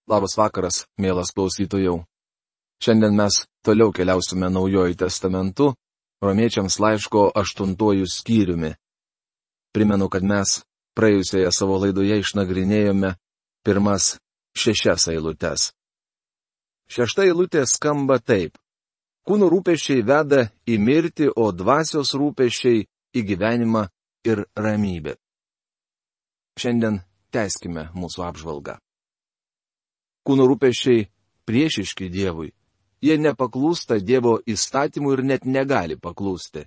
Labas vakaras, mielas klausytojau. Šiandien mes toliau keliausime Naujuoju testamentu, Romiečiams laiško 8 skyriumi. Primenu, kad mes praėjusioje savo laidoje išnagrinėjome pirmas 6 eilutes. 6 eilutė skamba taip. Kūno rūpesčiai veda į mirtį, o dvasios rūpesčiai į gyvenimą ir ramybę. Šiandien tęskime mūsų apžvalgą. Kūno rūpesčiai priešiški Dievui. Jie nepaklūsta Dievo įstatymų ir net negali paklūsti.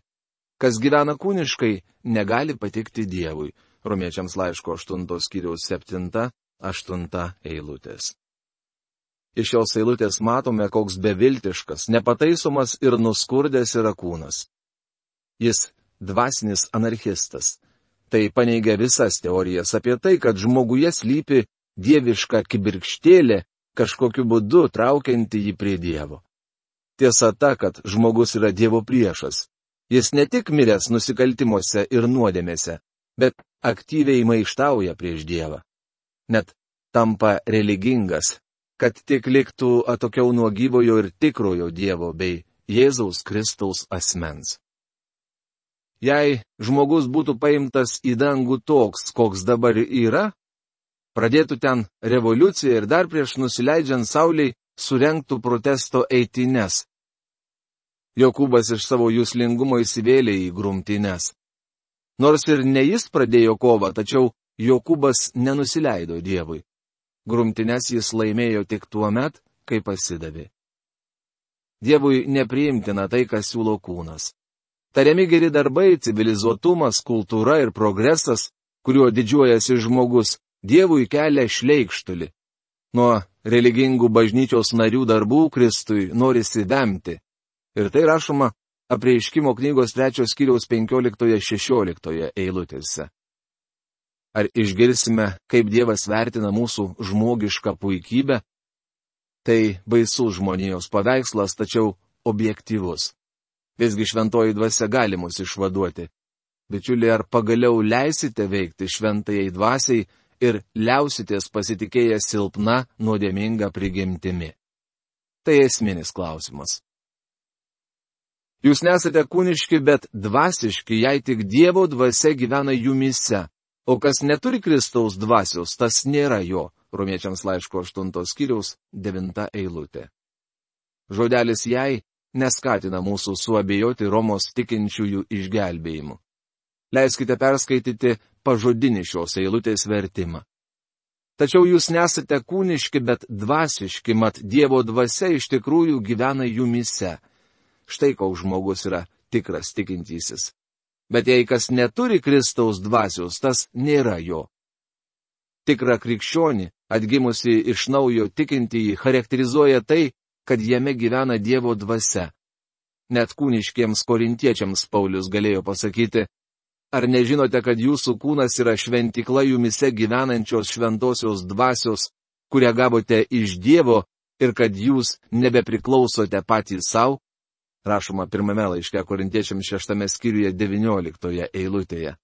Kas gyvena kūniškai, negali patikti Dievui. Romiečiams laiško 8 skyriaus 7-8 eilutės. Iš šios eilutės matome, koks beviltiškas, nepataisomas ir nuskurdęs yra kūnas. Jis dvasinis anarchistas. Tai paneigia visas teorijas apie tai, kad žmoguje slypi dieviška kibirkštėlė, kažkokiu būdu traukianti jį prie Dievo. Tiesa ta, kad žmogus yra Dievo priešas. Jis ne tik miręs nusikaltimuose ir nuodėmėse, bet aktyviai maištauja prieš Dievą. Net tampa religingas, kad tik liktų atokiau nuo gyvojo ir tikrojo Dievo bei Jėzaus Kristaus asmens. Jei žmogus būtų paimtas į dangų toks, koks dabar yra, pradėtų ten revoliuciją ir dar prieš nusileidžiant Sauliai surengtų protesto eitynes. Jokūbas iš savo juslingumo įsivėlė į grumtynes. Nors ir ne jis pradėjo kovą, tačiau Jokūbas nenusileido Dievui. Grumtynes jis laimėjo tik tuo met, kai pasidavė. Dievui nepriimtina tai, kas siūlo kūnas. Tariami geri darbai, civilizuotumas, kultūra ir progresas, kuriuo didžiuojasi žmogus, Dievui kelia šleikštulį. Nuo religingų bažnyčios narių darbų Kristui norisi vemti. Ir tai rašoma Apreiškimo knygos 3 skyriaus 15-16 eilutėse. Ar išgirsime, kaip Dievas vertina mūsų žmogišką puikybę? Tai baisus žmonijos paveikslas, tačiau objektyvus. Visgi šventoji dvasia gali mus išvaduoti. Bičiuliai, ar pagaliau leisite veikti šventajai dvasiai ir liausitės pasitikėję silpna, nuodėminga prigimtimi? Tai esminis klausimas. Jūs nesate kūniški, bet dvasiški, jei tik Dievo dvasia gyvena jumyse, o kas neturi Kristaus dvasios, tas nėra jo. Romiečiams laiško 8 skyriaus 9 eilutė. Žodelis jei neskatina mūsų suabejoti Romos tikinčiųjų išgelbėjimu. Leiskite perskaityti pažodinį šios eilutės vertimą. Tačiau jūs nesate kūniški, bet dvasiški, mat Dievo dvasia iš tikrųjų gyvena jumyse. Štai koks žmogus yra tikras tikintysis. Bet jei kas neturi Kristaus dvasios, tas nėra jo. Tikrą krikščionį, atgimusi iš naujo tikintįjį, charakterizuoja tai, kad jame gyvena Dievo dvasia. Net kūniškiems korintiečiams Paulius galėjo pasakyti, ar nežinote, kad jūsų kūnas yra šventykla jumise gyvenančios šventosios dvasios, kurią gavote iš Dievo ir kad jūs nebepriklausote patys savo? Rašoma pirmame laiške korintiečiams 6 skyriuje 19 eilutėje.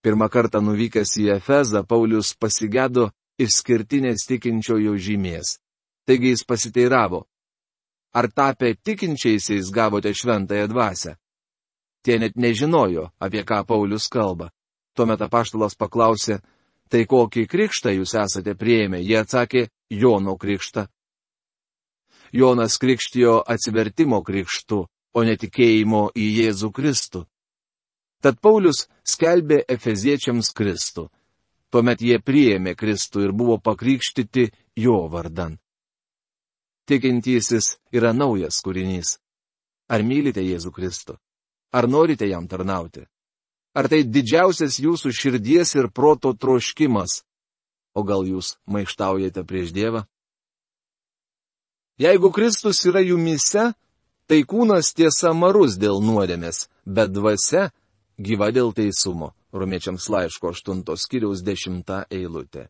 Pirmą kartą nuvykęs į Efezą, Paulius pasigėdo išskirtinės tikinčiojo žymės. Taigi jis pasiteiravo, ar tapę tikinčiaisiais gavote šventąją dvasią? Tie net nežinojo, apie ką Paulius kalba. Tuomet apaštalas paklausė, tai kokį krikštą jūs esate priėmę? Jie atsakė, Jono krikštą. Jonas krikštijo atsivertimo krikštu, o netikėjimo į Jėzų Kristų. Tad Paulius skelbė efeziečiams Kristų. Tuomet jie priėmė Kristų ir buvo pakrikštyti jo vardan. Tikintysis yra naujas kūrinys. Ar mylite Jėzų Kristų? Ar norite jam tarnauti? Ar tai didžiausias jūsų širdies ir proto troškimas? O gal jūs maištaujate prieš Dievą? Jeigu Kristus yra jumyse, tai kūnas tiesa marus dėl nuodėmės, bet dvasia gyva dėl teisumo. Romiečiams laiško 8 skyriaus 10 eilutė.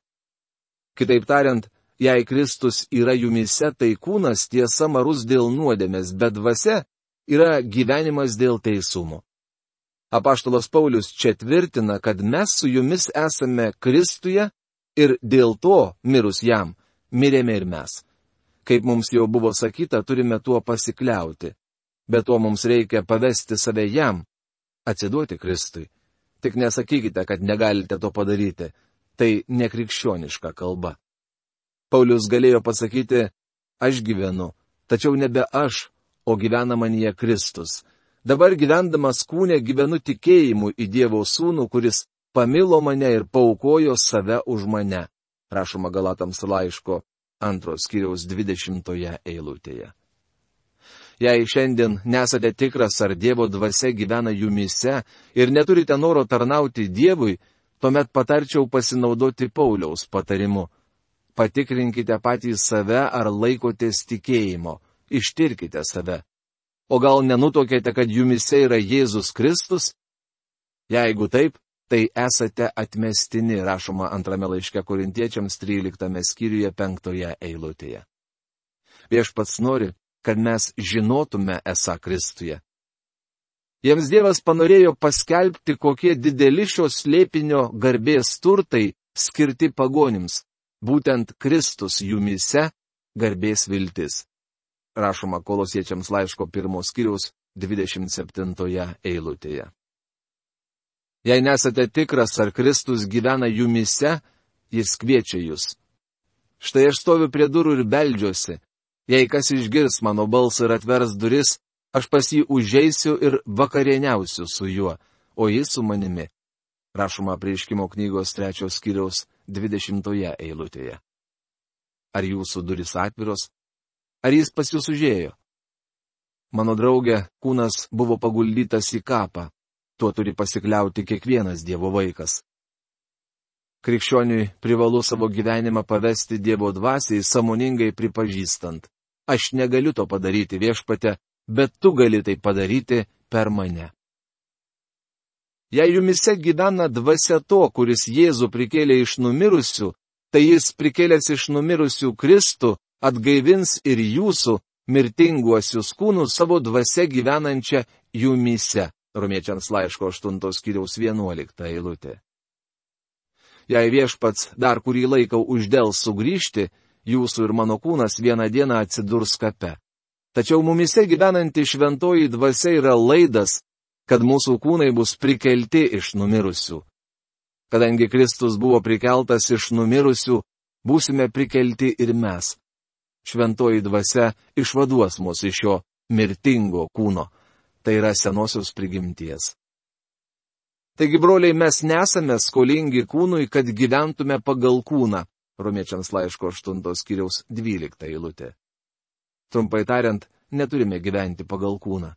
Kitaip tariant, jei Kristus yra jumyse, tai kūnas tiesa marus dėl nuodėmės, bet dvasia yra gyvenimas dėl teisumo. Apaštalas Paulius čia tvirtina, kad mes su jumis esame Kristuje ir dėl to, mirus jam, mirėme ir mes. Kaip mums jau buvo sakyta, turime tuo pasikliauti. Bet to mums reikia pavesti save jam, atsiduoti Kristui. Tik nesakykite, kad negalite to padaryti. Tai nekrikščioniška kalba. Paulius galėjo pasakyti, aš gyvenu, tačiau nebe aš, o gyvena manyje Kristus. Dabar gyvendamas kūne gyvenu tikėjimu į Dievo Sūnų, kuris pamilo mane ir paaukojo save už mane. Rašoma Galatams laiško 2 skyriaus 20 eilutėje. Jei šiandien nesate tikras, ar Dievo dvasia gyvena jumyse ir neturite noro tarnauti Dievui, tuomet patarčiau pasinaudoti Pauliaus patarimu. Patikrinkite patys save, ar laikotės tikėjimo, ištirkite save. O gal nenutokėte, kad jumyse yra Jėzus Kristus? Jeigu taip, tai esate atmestini, rašoma 2 laiške Korintiečiams 13 skyriuje 5 eilutėje. Viešpats nori, kad mes žinotume esą Kristuje. Jiems Dievas panorėjo paskelbti, kokie dideli šio slėpinio garbės turtai skirti pagonims. Būtent Kristus jumyse garbės viltis. Rašoma Kolosiečiams laiško 1 skyriaus 27 eilutėje. Jei nesate tikras, ar Kristus gyvena jumyse, jis kviečia jūs. Štai aš stoviu prie durų ir beldžiuosi. Jei kas išgirs mano balsą ir atvers duris, aš pas jį užeisiu ir vakarieniausiu su juo, o jis su manimi. Rašoma Apreiškimo knygos 3 skyriaus 20 eilutėje. Ar jūsų duris atviros? Ar jis pas jūs užėjo? Mano draugė, kūnas buvo paguldytas į kapą. Tuo turi pasikliauti kiekvienas Dievo vaikas. Krikščioniui privalu savo gyvenimą pavesti Dievo dvasiai, sąmoningai pripažįstant. Aš negaliu to padaryti, Viešpatie, bet tu gali tai padaryti per mane. Jei jumise gyvena dvasia to, kuris Jėzų prikėlė iš numirusių, tai jis prikėlęs iš numirusių Kristų atgaivins ir jūsų mirtinguosius kūnus savo dvasia gyvenančią jumise. Romiečiams laiško 8 skyriaus 11 eilutė. Jei Viešpats dar kurį laiką uždels sugrįžti, jūsų ir mano kūnas vieną dieną atsidurs kape. Tačiau mumise gyvenanti šventoji dvasia yra laidas, kad mūsų kūnai bus prikelti iš numirusių. Kadangi Kristus buvo prikeltas iš numirusių, būsime prikelti ir mes. Šventoji dvasia išvaduos mus iš šio mirtingo kūno. Tai yra senosios prigimties. Taigi, broliai, mes nesame skolingi kūnui, kad gyventume pagal kūną. Romiečiams laiško 8 skyriaus 12 eilutė. Trumpai tariant, neturime gyventi pagal kūną.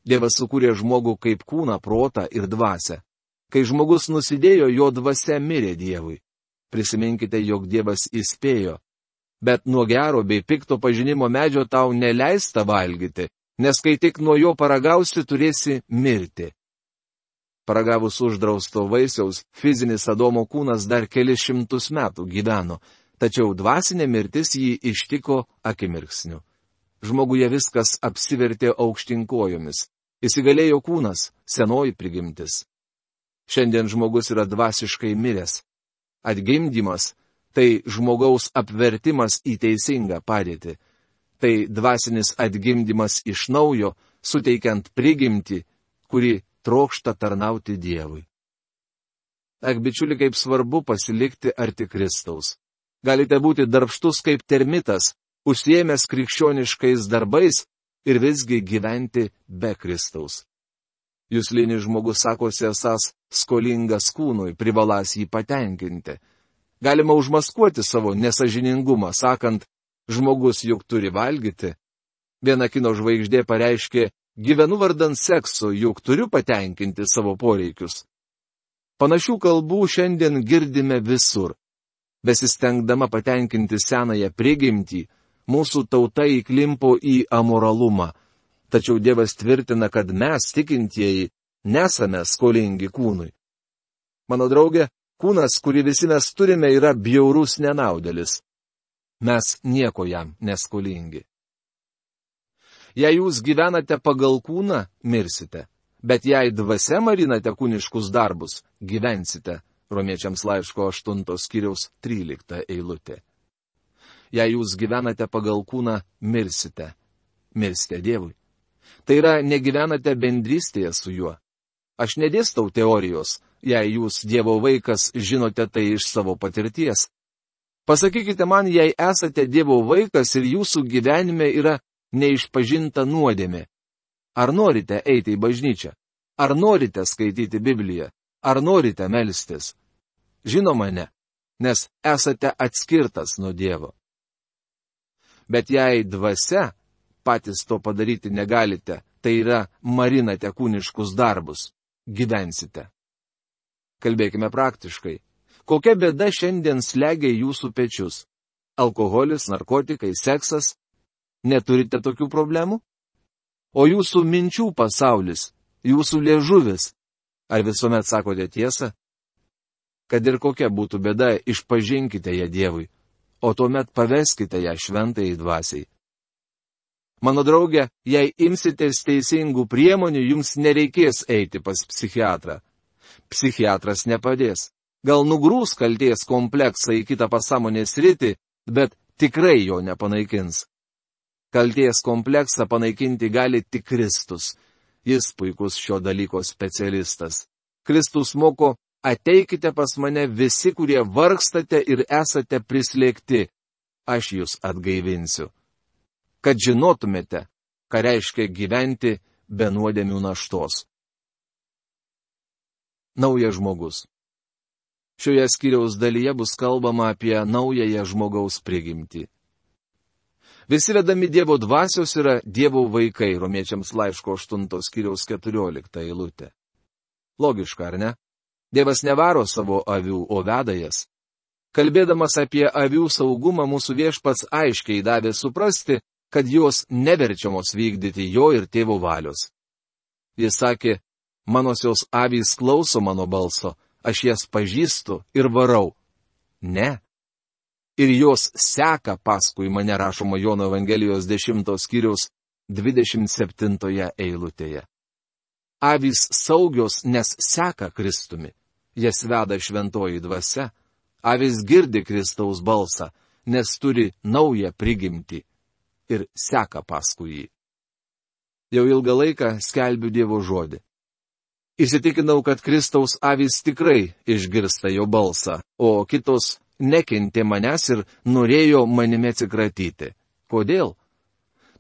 Dievas sukūrė žmogų kaip kūną, protą ir dvasią. Kai žmogus nusidėjo, jo dvasia mirė Dievui. Prisiminkite, jog Dievas įspėjo. Bet nuo gero bei pikto pažinimo medžio tau neleista valgyti, nes kai tik nuo jo paragausi, turėsi mirti. Paragavus uždrausto vaisiaus, fizinis Adomo kūnas dar kelis šimtus metų gyveno, tačiau dvasinė mirtis jį ištiko akimirksniu. Žmoguje viskas apsivertė aukštinkojomis. Įsigalėjo kūnas, senoji prigimtis. Šiandien žmogus yra dvasiškai miręs. Atgimdymas – tai žmogaus apvertimas į teisingą padėtį. Tai dvasinis atgimdymas iš naujo, suteikiant prigimtį, kuri trokšta tarnauti Dievui. Ak, bičiuli, kaip svarbu pasilikti arti Kristaus. Galite būti darbštus kaip termitas, užsiėmęs krikščioniškais darbais ir visgi gyventi be Kristaus. Juslinis žmogus sakosi esąs skolingas kūnui, privaląs jį patenkinti. Galima užmaskuoti savo nesažiningumą, sakant, žmogus juk turi valgyti. Viena kino žvaigždė pareiškė, gyvenu vardan sekso, juk turiu patenkinti savo poreikius. Panašių kalbų šiandien girdime visur. Besistengdama patenkinti senąją prigimtį, mūsų tauta įklimpo į amoralumą. Tačiau Dievas tvirtina, kad mes, tikintieji, nesame skolingi kūnui. Mano draugė, kūnas, kurį visi mes turime, yra bjaurus nenaudėlis. Mes nieko jam neskolingi. Jei jūs gyvenate pagal kūną, mirsite, bet jei dvasia marinate kūniškus darbus, gyvensite. Romiečiams laiško 8 skyriaus 13 eilutė. jei jūs gyvenate pagal kūną, mirsite. Mirsite Dievui. Tai yra, negyvenate bendrystėje su juo. Aš nedėstau teorijos, jei jūs Dievo vaikas, žinote tai iš savo patirties. Pasakykite man, jei esate Dievo vaikas ir jūsų gyvenime yra neišpažinta nuodėmė. Ar norite eiti į bažnyčią? Ar norite skaityti Bibliją? Ar norite melstis? Žinoma, ne, nes esate atskirtas nuo Dievo. Bet jei dvasia, patys to padaryti negalite, tai yra marinate kūniškus darbus, gyvensite. Kalbėkime praktiškai. Kokia bėda šiandien slegia jūsų pečius? Alkoholis, narkotikai, seksas? Neturite tokių problemų? O jūsų minčių pasaulis, jūsų liežuvis? Ar visuomet sakote tiesą? Kad ir kokia būtų bėda, išpažinkite ją Dievui, o tuomet paveskite ją šventajai dvasiai. Mano draugė, jei imsitės teisingų priemonių, jums nereikės eiti pas psichiatrą. Psichiatras nepadės. Gal nugrūs kalties kompleksą į kitą pasąmonės sritį, bet tikrai jo nepanaikins. Kalties kompleksą panaikinti gali tik Kristus. Jis puikus šio dalyko specialistas. Kristus moko, ateikite pas mane visi, kurie vargstate ir esate prislėgti. Aš jūs atgaivinsiu. Kad žinotumėte, ką reiškia gyventi be nuodėmių naštos. Naujas žmogus. Šioje skyriaus dalyje bus kalbama apie naująją žmogaus prigimtį. Visi vedami Dievo dvasios yra Dievo vaikai, Romiečiams laiško 8 skyriaus 14 eilutė. Logiška, ar ne? Dievas nevaro savo avių, o veda jas. Kalbėdamas apie avių saugumą, mūsų Viešpats aiškiai davė suprasti, kad jos neverčiamos vykdyti jo ir tėvo valios. Jis sakė, manosios avys klauso mano balso, aš jas pažįstu ir varau. Ne. Ir jos seka paskui mane, rašoma Jono Evangelijos 10 skyriaus 27 eilutėje. Avys saugios, nes seka Kristumi. Jas veda šventoji dvasia. Avys girdi Kristaus balsą, nes turi naują prigimtį ir seka paskui jį. Jau ilgą laiką skelbiu Dievo žodį. Įsitikinau, kad Kristaus avys tikrai išgirsta jo balsą, o kitos nekentė manęs ir norėjo manimi atsikratyti. Kodėl?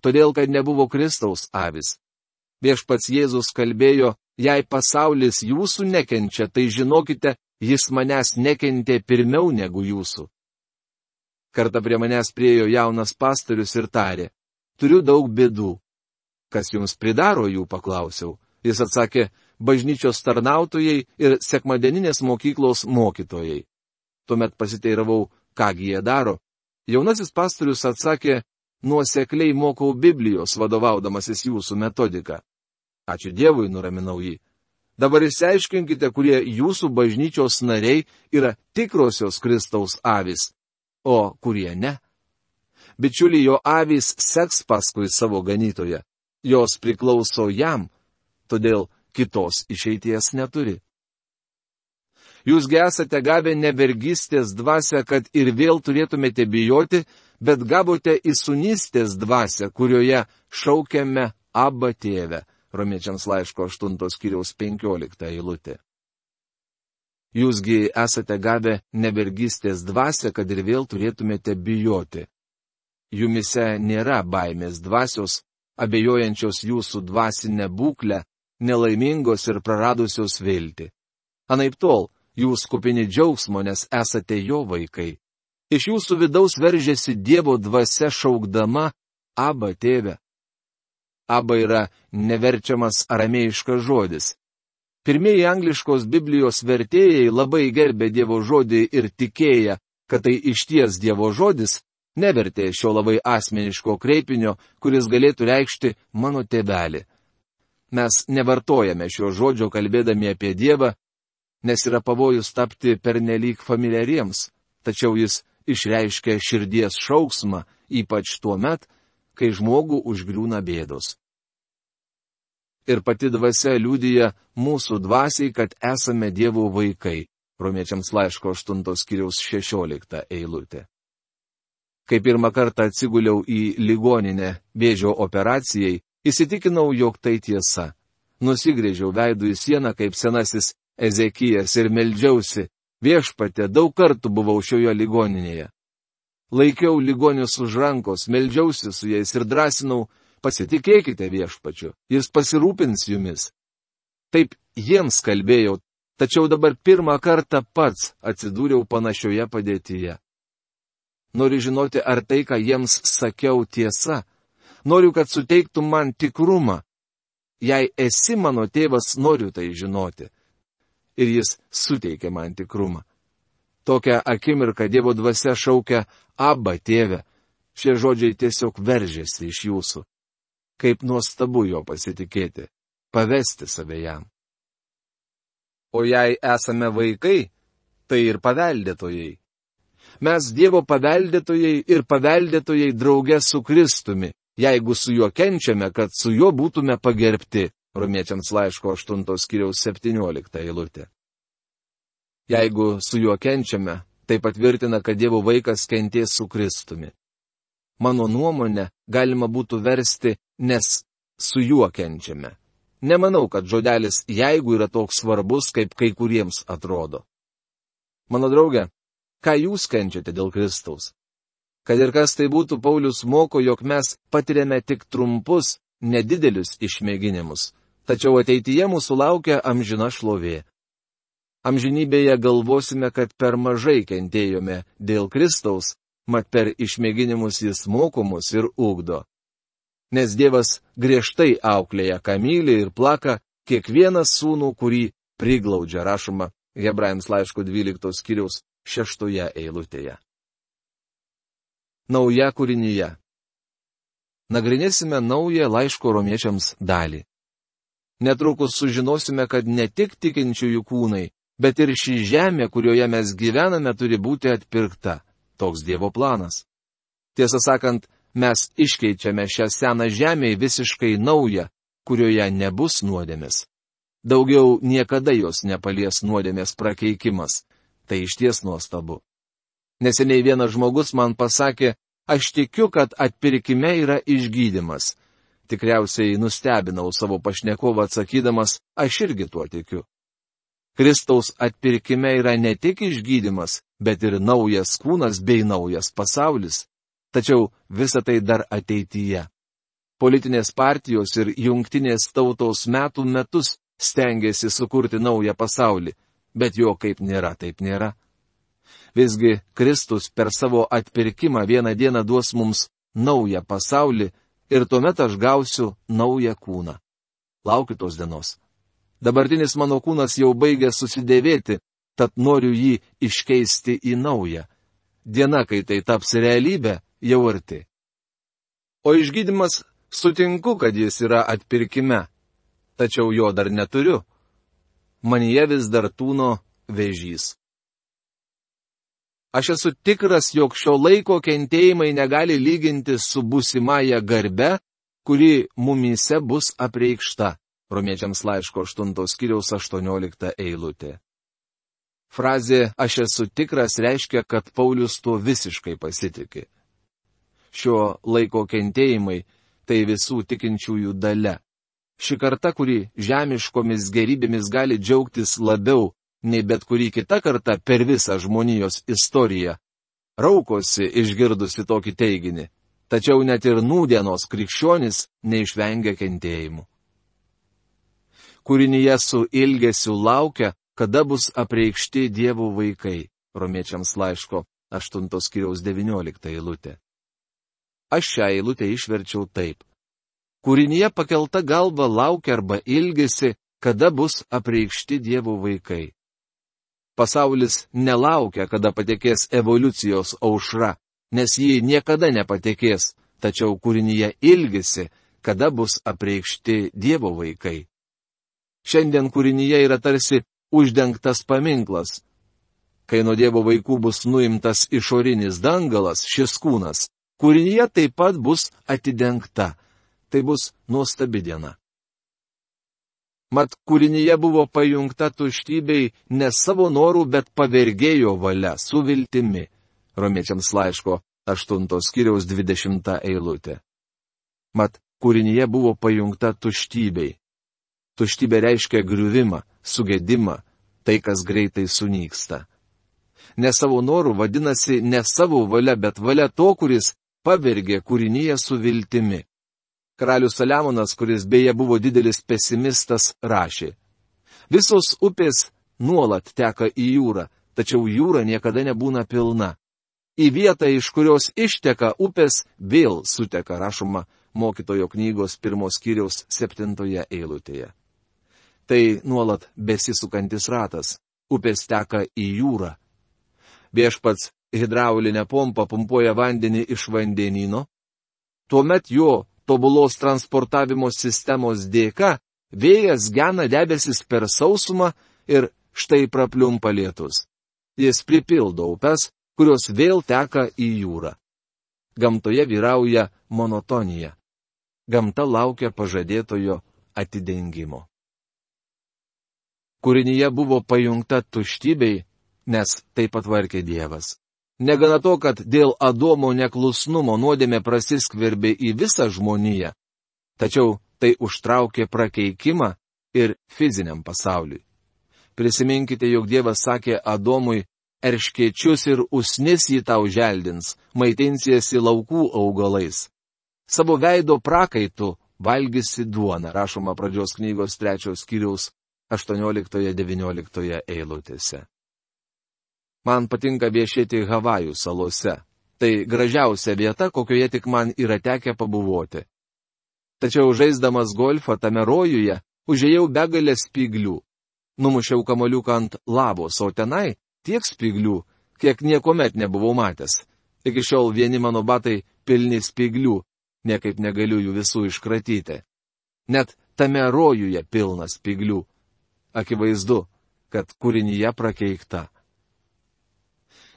Todėl, kad nebuvo Kristaus avys. Viešpats Jėzus kalbėjo, jei pasaulis jūsų nekenčia, tai žinokite, jis manęs nekentė pirmiau negu jūsų. Kartą prie manęs priėjo jaunas pastorius ir tarė, turiu daug bėdų. Kas jums pridaro jų, paklausiau. Jis atsakė, bažnyčios tarnautojai ir sekmadieninės mokyklos mokytojai. Tuomet pasiteiravau, kągi jie daro. Jaunasis pastorius atsakė, nuosekliai mokau Biblijos, vadovaudamasis jūsų metodiką. Ačiū Dievui, nuraminau jį. Dabar išsiaiškinkite, kurie jūsų bažnyčios nariai yra tikrosios Kristaus avys, o kurie ne. Bičiuliai, jo avys seks paskui savo ganytoją. Jos priklauso jam, todėl kitos išeities neturi. Jūsgi esate gavę ne vergystės dvasią, kad ir vėl turėtumėte bijoti, bet gavote įsūnystės dvasią, kurioje šaukiame Abba tėve. Romiečiams laiško 8 skyriaus 15 eilutė. Jūsgi esate gavę ne vergystės dvasią, kad ir vėl turėtumėte bijoti. Jumise nėra baimės dvasios, abejojančios jūsų dvasinę būklę, nelaimingos ir praradusios viltį. Anaiptol, jūs kupini džiaugsmo, nes esate jo vaikai. Iš jūsų vidaus veržiasi Dievo dvasia šaukdama Abba tėve. Abba yra neverčiamas aramėjiškas žodis. Pirmieji angliškos Biblijos vertėjai labai gerbė Dievo žodį ir tikėję, kad tai išties Dievo žodis, nevertė šio labai asmeniško kreipinio, kuris galėtų reikšti mano tėvelį. Mes nevartojame šio žodžio kalbėdami apie Dievą, nes yra pavojus tapti pernelyg familiariems, tačiau jis išreiškia širdies šauksmą, ypač tuo met, kai žmogų užgriūna bėdos. Ir pati dvasia liudija mūsų dvasiai, kad esame Dievo vaikai. Romiečiams laiško 8 skyriaus 16 eilutė. Kai pirmą kartą atsiguliau į ligoninę vėžio operacijai, įsitikinau, jog tai tiesa. Nusigrėžiau veidų į sieną kaip senasis Ezekijas ir meldžiausi, viešpatie, daug kartų buvau šioje ligoninėje. Laikiau ligonius už rankos, meldžiausi su jais ir drąsinau, pasitikėkite viešpačiu, jis pasirūpins jumis. Taip jiems kalbėjau, tačiau dabar pirmą kartą pats atsidūriau panašioje padėtyje. Noriu žinoti, ar tai, ką jiems sakiau, tiesa. Noriu, kad suteiktų man tikrumą. Jei esi mano tėvas, noriu tai žinoti. Ir jis suteikė man tikrumą. Tokią akimirką Dievo dvasia šaukia, Abba, tėve. Šie žodžiai tiesiog veržėsi iš jūsų. Kaip nuostabu jo pasitikėti, pavesti save jam. O jei esame vaikai, tai ir paveldėtojai. Mes Dievo paveldėtojai ir paveldėtojai drauge su Kristumi, jeigu su juo kenčiame, kad su juo būtume pagerbti. Romiečiams laiško 8 skyriaus 17 eilutė. Jeigu su juo kenčiame, tai patvirtina, kad Dievo vaikas kentės su Kristumi. Mano nuomonė galima būtų versti, nes su juo kenčiame. Nemanau, kad žodelis jeigu yra toks svarbus, kaip kai kuriems atrodo. Mano draugė, ką jūs kenčiate dėl Kristaus? Kad ir kas tai būtų, Paulius moko, jog mes patiriame tik trumpus, nedidelius išmėginimus, tačiau ateityje mūsų laukia amžina šlovė. Amžinybėje galvosime, kad per mažai kentėjome dėl Kristaus, mat per išmėginimus jis moko mus ir ugdo. Nes Dievas griežtai auklėja, ką myli ir plaka kiekvieną sūnų, kurį priglaudžia, rašoma Hebrajams laiško 12 skyriaus 6 eilutėje. Nauja kūrinyje. Nagrinėsime naują laiško romiečiams dalį. Netrukus sužinosime, kad ne tik tikinčiųjų kūnai, bet ir ši žemė, kurioje mes gyvename, turi būti atpirkta. Toks Dievo planas. Tiesą sakant, mes iškeičiame šią seną žemę į visiškai naują, kurioje nebus nuodėmės. Daugiau niekada jos nepalies nuodėmės prakeikimas. Tai išties nuostabu. Neseniai vienas žmogus man pasakė, aš tikiu, kad atpirkime yra išgydymas. Tikriausiai nustebinau savo pašnekovą atsakydamas, aš irgi tuo tikiu. Kristaus atpirkime yra ne tik išgydymas, bet ir naujas kūnas bei naujas pasaulis. Tačiau visa tai dar ateityje. Politinės partijos ir jungtinės tautos metų metus stengiasi sukurti naują pasaulį, bet jo kaip nėra, taip nėra. Visgi Kristus per savo atpirkimą vieną dieną duos mums naują pasaulį ir tuomet aš gausiu naują kūną. Laukiu tos dienos. Dabartinis mano kūnas jau baigia susidėvėti, tad noriu jį iškeisti į naują. Diena, kai tai taps realybė, jau arti. O išgydymas sutinku, kad jis yra atpirkime, tačiau jo dar neturiu. Manyje vis dar tūno vėžys. Aš esu tikras, jog šio laiko kentėjimai negali lyginti su būsimąja garbe, kuri mumyse bus apreikšta. Romiečiams laiško 8 skyriaus 18 eilutė. Frazė aš esu tikras reiškia, kad Paulius tuo visiškai pasitiki. Šio laiko kentėjimai tai visų tikinčiųjų dalia. Ši karta, kuri žemiškomis gerybėmis gali džiaugtis labiau nei bet kuri kita karta per visą žmonijos istoriją, raukosi išgirdusi tokį teiginį, tačiau net ir nūdienos krikščionis neišvengia kentėjimų. Kūrinyje su ilgesiu laukia, kada bus apreikšti Dievo vaikai. Romiečiams laiško 8 skyriaus 19 eilutė. Aš šią eilutę išverčiau taip. Kūrinyje pakelta galva laukia arba ilgesi, kada bus apreikšti Dievo vaikai. Pasaulis nelaukia, kada patekės evoliucijos aušra, nes ji niekada nepatekės, tačiau kūrinyje ilgesi, kada bus apreikšti Dievo vaikai. Šiandien kūrinyje yra tarsi uždengtas paminklas. Kai nuo Dievo vaikų bus nuimtas išorinis dangalas, šis kūnas, kūrinyje taip pat bus atidengta. Tai bus nuostabi diena. Mat kūrinyje buvo pajungta tuštybei ne savo norų, bet pavergėjo valia, su viltimi. Romiečiams laiško 8 skyriaus 20 eilutė. Mat, kūrinyje buvo pajungta tuštybei. Tuštybė reiškia griuvimą, sugedimą, tai, kas greitai sunyksta. Ne savo norų vadinasi ne savo valia, bet valia to, kuris pavergė kūrinyje su viltimi. Karalius Saliamonas, kuris beje buvo didelis pesimistas, rašė: visos upės nuolat teka į jūrą, tačiau jūra niekada nebūna pilna. Į vietą, iš kurios išteka upės, vėl suteka, rašoma Mokytojo knygos 1 skyriaus 7 eilutėje. Tai nuolat besisukantis ratas. Upės teka į jūrą. Viešpats hidraulinę pompą pumpuoja vandenį iš vandenyno. Tuomet jo tobulos transportavimo sistemos dėka vėjas gena debesis per sausumą ir štai prapliumpa lietus. Jis pripildo upes, kurios vėl teka į jūrą. Gamtoje vyrauja monotonija. Gamta laukia pažadėtojo atidengimo. Kūrinyje buvo pajungta tuštybei, nes tai patvarkė Dievas. Negana to, kad dėl Adomo neklusnumo nuodėmė prasiskverbė į visą žmoniją, tačiau tai užtraukė prakeikimą ir fiziniam pasauliui. Prisiminkite, jog Dievas sakė Adomui: erškėčius ir usnis jį tau želdins, maitinsiesi laukų augalais. Savo veido prakaitu valgysi duoną, rašoma Pradžios knygos 3 skyriaus 18-19 eilutėse. Man patinka viešėti Havajų salose. Tai gražiausia vieta, kokioje tik man yra tekę pabuvoti. Tačiau žaisdamas golfą tame rojuje užėjau begalę spyglių. Numušiau kamoliuką ant lavos, o tenai tiek spyglių, kiek niekuomet nebuvau matęs. Iki šiol vieni mano batai pilni spyglių, niekaip negaliu jų visų iškratyti. Net tame rojuje pilna spyglių. Akivaizdu, kad kūrinyje prakeikta.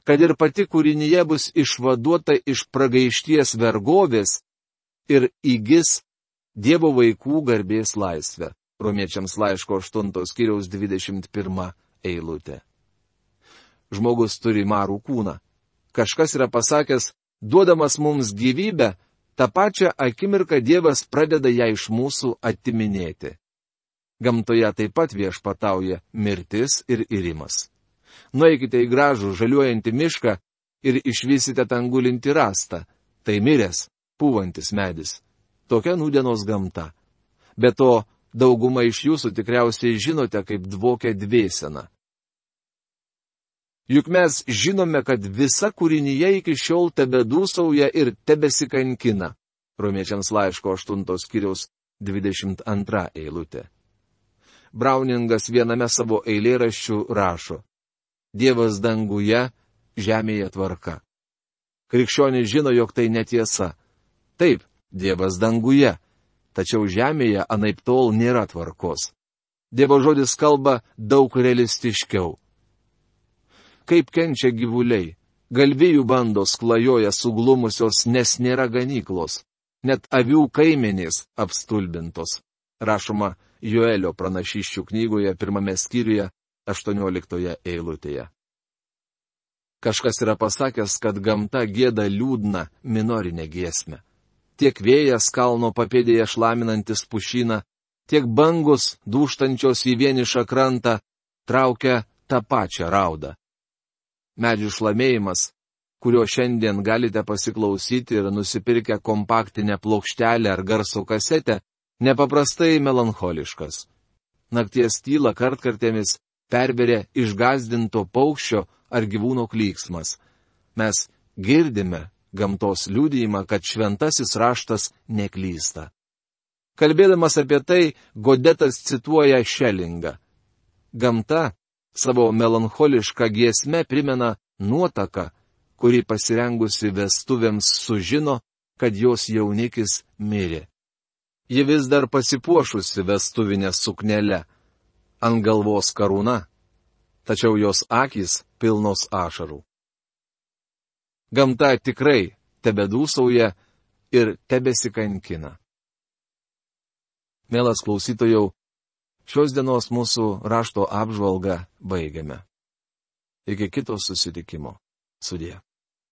Kad ir pati kūrinyje bus išvaduota iš pragaišties vergovės ir įgis Dievo vaikų garbės laisvę. Romiečiams laiško 8 skyriaus 21 eilutė. Žmogus turi marų kūną. Kažkas yra pasakęs: duodamas mums gyvybę, tą pačią akimirką Dievas pradeda ją iš mūsų atiminėti. Gamtoje taip pat viešpatauja mirtis ir irimas. Nueikite į gražų žaliuojantį mišką ir išvysite ten gulintį rastą. Tai miręs, pūvantis medis. Tokia nūdienos gamta. Be to, dauguma iš jūsų tikriausiai žinote, kaip dvokia dvėsena. Juk mes žinome, kad visa kūrinyje iki šiol tebedūsauja ir tebesikankina. Romiečiams laiško 8 skyriaus 22 eilutė. Browningas viename savo eilėraščių rašo: Dievas danguje, žemėje tvarka. Krikščionys žino, jog tai netiesa. Taip, Dievas danguje, tačiau žemėje anaiptol nėra tvarkos. Dievo žodis kalba daug realistiškiau. Kaip kenčia gyvuliai, galvijų bandos klajoja suglumusios, nes nėra ganyklos. Net avių kaimenės apstulbintos. Rašoma Joelio pranašysčių knygoje 1 skyriuje 18 eilutėje. Kažkas yra pasakęs, kad gamta gieda liūdną minorinę giesmę. Tiek vėjas kalno papėdėje šlaminantis pušyną, tiek bangos dūštančios į vienišą krantą traukia tą pačią raudą. Medžių šlamėjimas, kurio šiandien galite pasiklausyti ir nusipirkę kompaktinę plokštelę ar garso kasetę, nepaprastai melancholiškas. Nakties tyla kartkartėmis perveria išgąsdinto paukščio ar gyvūno klyksmas. Mes girdime gamtos liudijimą, kad šventasis raštas neklysta. Kalbėdamas apie tai, Godetas cituoja Šelingą. Gamta savo melancholišką giesmę primena nuotaką, kuri pasirengusi vestuvėms sužino, kad jos jaunikis mirė. Ji vis dar pasipuošusi vestuvinę suknelę, ant galvos karūna, tačiau jos akys pilnos ašarų. Gamta tikrai tebedūsauja ir tebesikankina. Mielas klausytojau, šios dienos mūsų rašto apžvalgą baigiame. Iki kito susitikimo. Sudie.